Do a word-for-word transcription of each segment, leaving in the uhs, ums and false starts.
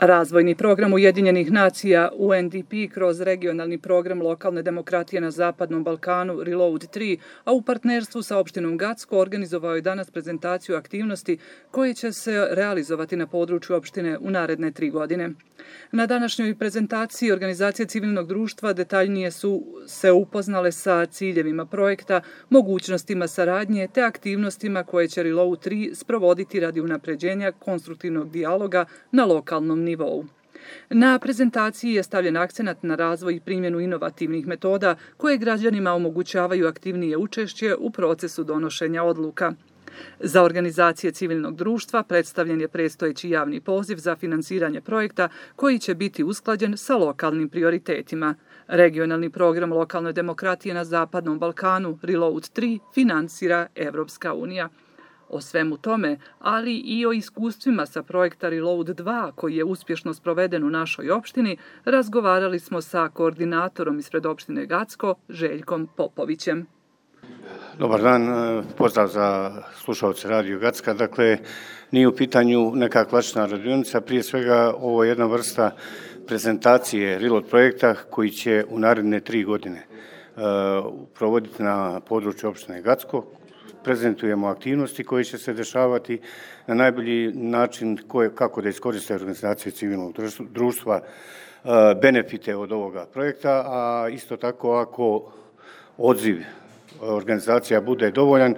Razvojni program Ujedinjenih nacija U N D P kroz regionalni program lokalne demokratije na Zapadnom Balkanu Reload tri, a u partnerstvu sa opštinom Gacko organizovao je danas prezentaciju aktivnosti koje će se realizovati na području opštine u naredne tri godine. Na današnjoj prezentaciji organizacije civilnog društva detaljnije su se upoznale sa ciljevima projekta, mogućnostima saradnje te aktivnostima koje će Reload tri sprovoditi radi unapređenja konstruktivnog dijaloga na lokalnom nivou. Na prezentaciji je stavljen akcenat na razvoj i primjenu inovativnih metoda koje građanima omogućavaju aktivnije učešće u procesu donošenja odluka. Za organizacije civilnog društva predstavljen je predstojeći javni poziv za finansiranje projekta koji će biti usklađen sa lokalnim prioritetima. Regionalni program lokalne demokratije na Zapadnom Balkanu Reload tri finansira Evropska unija. O svemu tome, ali i o iskustvima sa projekta Reload dva, koji je uspješno sproveden u našoj opštini, razgovarali smo sa koordinatorom ispred opštine Gacko, Željkom Popovićem. Dobar dan, pozdrav za slušalce Radio Gacka. Dakle, nije u pitanju neka klasična radionica, prije svega ovo je jedna vrsta prezentacije Reload projekta koji će u naredne tri godine provoditi na području opštine Gacko. Prezentujemo aktivnosti koje će se dešavati na najbolji način koje, kako da iskoriste organizacije civilnog društva benefite od ovoga projekta, a isto tako ako odziv organizacija bude dovoljan,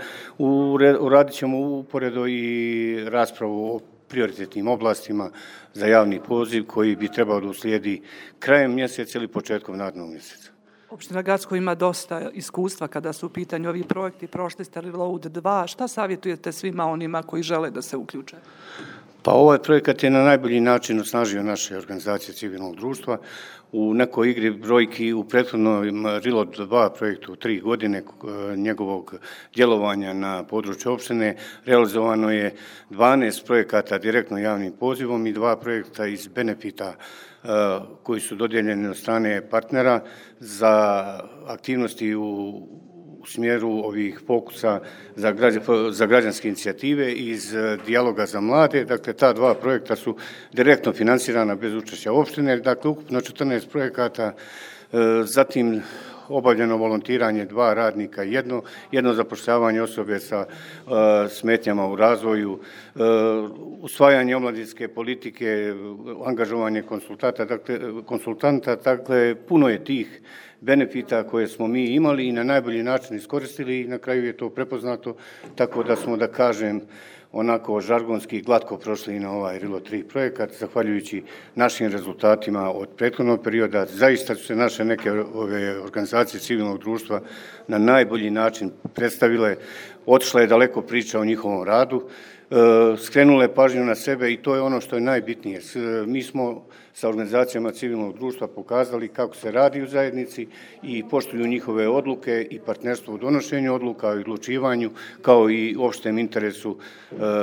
uradit ćemo uporedo i raspravu o prioritetnim oblastima za javni poziv koji bi trebao da uslijedi krajem mjeseca ili početkom narednog mjeseca. Opština Gacko ima dosta iskustva kada su u pitanju ovi projekti. Prošli ste Reload dva. Šta savjetujete svima onima koji žele da se uključe? Pa ovaj projekat je na najbolji način osnažio naše organizacije civilnog društva. U nekoj igri brojki u prethodnom Reload dva projektu tri godine njegovog djelovanja na području opštine realizovano je dvanaest projekata direktno javnim pozivom i dva projekta iz benefita koji su dodijeljeni od strane partnera za aktivnosti u u smjeru ovih fokusa za, građan, za građanske inicijative iz dijaloga za mlade. Dakle, ta dva projekta su direktno finansirana bez učešća opštine, dakle, ukupno četrnaest projekata, zatim obavljeno volontiranje dva radnika, jedno, jedno zapošljavanje osobe sa uh, smetnjama u razvoju, uh, usvajanje omladinske politike, angažovanje konsultanta, dakle, konsultanta, dakle, puno je tih benefita koje smo mi imali i na najbolji način iskoristili i na kraju je to prepoznato, tako da smo, da kažem, onako žargonski glatko prošli na ovaj Reload tri projekat, zahvaljujući našim rezultatima od prethodnog perioda. Zaista su se naše neke ove organizacije civilnog društva na najbolji način predstavile, otišla je daleko priča o njihovom radu, skrenule pažnju na sebe i to je ono što je najbitnije. Mi smo sa organizacijama civilnog društva pokazali kako se radi u zajednici i poštuju njihove odluke i partnerstvo u donošenju odluka i odlučivanju, kao i opštem interesu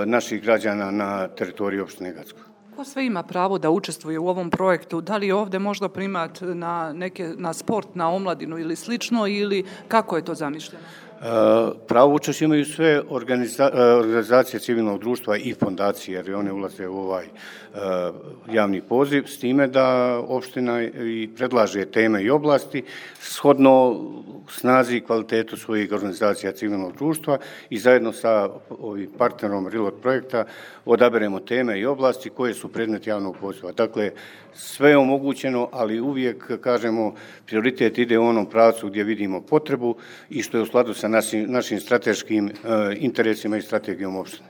naših građana na teritoriji opštine Gacko. Ko sve ima pravo da učestvuje u ovom projektu? Da li je ovdje možda primat na, neke, na sport, na omladinu ili slično, ili kako je to zamišljeno? Pravo učešće imaju sve organiza, organizacije civilnog društva i fondacije, jer one ulaze u ovaj javni poziv, s time da opština i predlaže teme i oblasti shodno snazi i kvalitetu svojih organizacija civilnog društva i zajedno sa ovim partnerom Reload projekta odaberemo teme i oblasti koje su predmet javnog poziva. Dakle, sve je omogućeno, ali uvijek, kažemo, prioritet ide u onom pravcu gdje vidimo potrebu i što je u skladu sa našim, našim strateškim interesima i strategijom opštine.